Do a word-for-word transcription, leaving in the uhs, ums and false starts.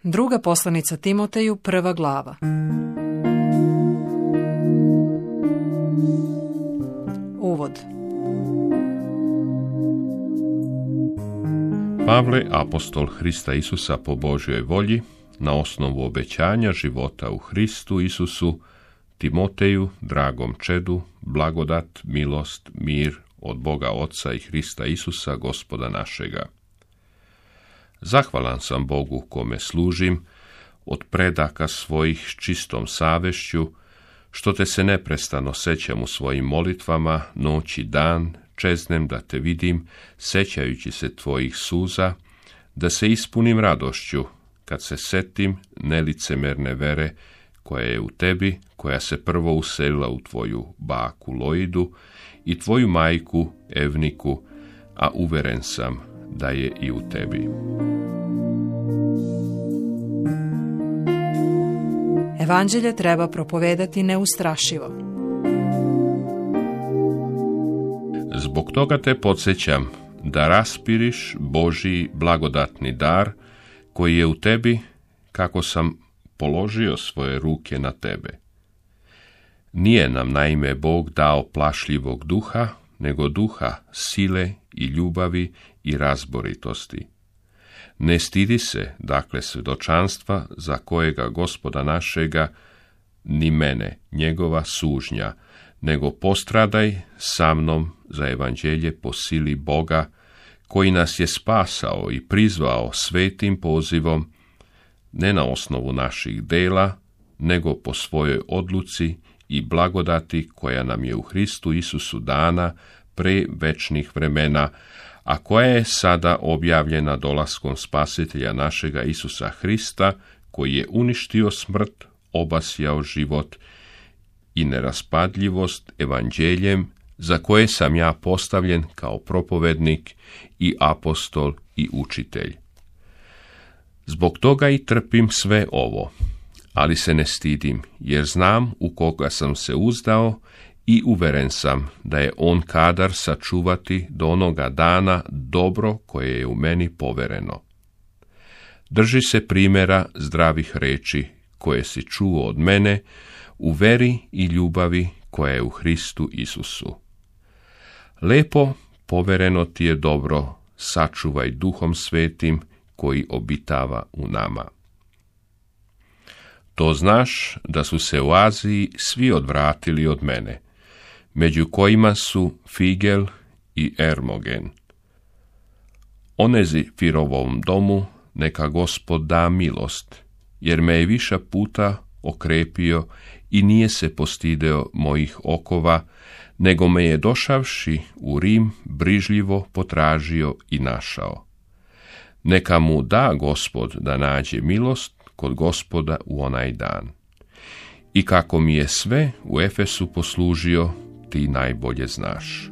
Druga poslanica Timoteju, prva glava. Uvod. Pavle, apostol Hrista Isusa po Božjoj volji, na osnovu obećanja života u Hristu Isusu, Timoteju, dragom čedu, blagodat, milost, mir od Boga Oca i Hrista Isusa, Gospoda našega. Zahvalan sam Bogu kome služim, od predaka svojih s čistom savješću, što te se neprestano sećam u svojim molitvama, noć i dan, čeznem da te vidim, sećajući se tvojih suza, da se ispunim radošću, kad se setim nelicemerne vere koja je u tebi, koja se prvo uselila u tvoju baku Loidu i tvoju majku Evniku, a uveren sam da je i u tebi. Evanđelje treba propovedati neustrašivo. Zbog toga te podsjećam da raspiriš Božji blagodatni dar koji je u tebi, kako sam položio svoje ruke na tebe. Nije nam naime Bog dao plašljivog duha, nego duha sile i ljubavi i razboritosti. Ne stidi se, dakle, svjedočanstva za kojega Gospoda našega, ni mene, njegova sužnja, nego postradaj sa mnom za evanđelje po sili Boga, koji nas je spasao i prizvao svetim pozivom, ne na osnovu naših dela, nego po svojoj odluci i blagodati koja nam je u Hristu Isusu dana pre večnih vremena, a koja je sada objavljena dolaskom Spasitelja našega Isusa Hrista, koji je uništio smrt, obasjao život i neraspadljivost evanđeljem, za koje sam ja postavljen kao propovednik i apostol i učitelj. Zbog toga i trpim sve ovo, ali se ne stidim, jer znam u koga sam se uzdao i uveren sam da je on kadar sačuvati do onoga dana dobro koje je u meni povereno. Drži se primjera zdravih reči koje si čuo od mene u veri i ljubavi koja je u Hristu Isusu. Lepo povereno ti je dobro, sačuvaj Duhom Svetim koji obitava u nama. To znaš da su se u Aziji svi odvratili od mene, među kojima su Figel i Ermogen. Onezi Firovom domu neka Gospod da milost, jer me je viša puta okrepio i nije se postideo mojih okova, nego me je došavši u Rim brižljivo potražio i našao. Neka mu da Gospod da nađe milost kod Gospoda u onaj dan. I kako mi je sve u Efesu poslužio, ti najbolje znaš.